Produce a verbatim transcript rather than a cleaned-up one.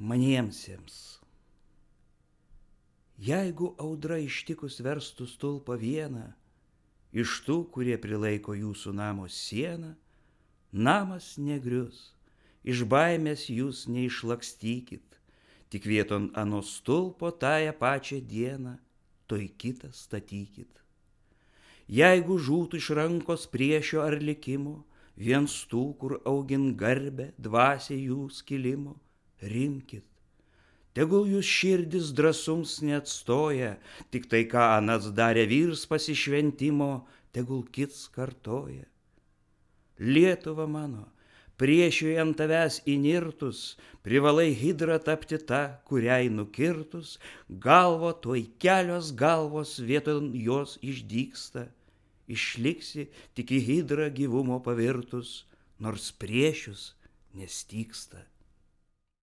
maniemsiems. Jeigu audra ištikus verstų stulpą vieną, iš tų, kurie prilaiko jūsų namo sieną, namas negrius, iš baimės jūs neišlakstykit, tik vieton ano stulpo tąją pačią dieną, toj kitą statykit. Jeigu žūtų iš rankos priešio ar likimo, viens tų, kur augin garbę, dvasia jų skilimo, rimkit. Tegul jūs širdis drąsums neatstoja, tik tai, ką anas darė vyrs pasišventimo, tegul kits kartoja. Lietuva mano, priešiui ant tavęs įnirtus, privalai hidra tapti ta, kuriai nukirtus, galvo tuoj kelios galvos vieton jos išdygsta, išliksi tik į hidrą gyvumo pavirtus, nors priešius nestygsta.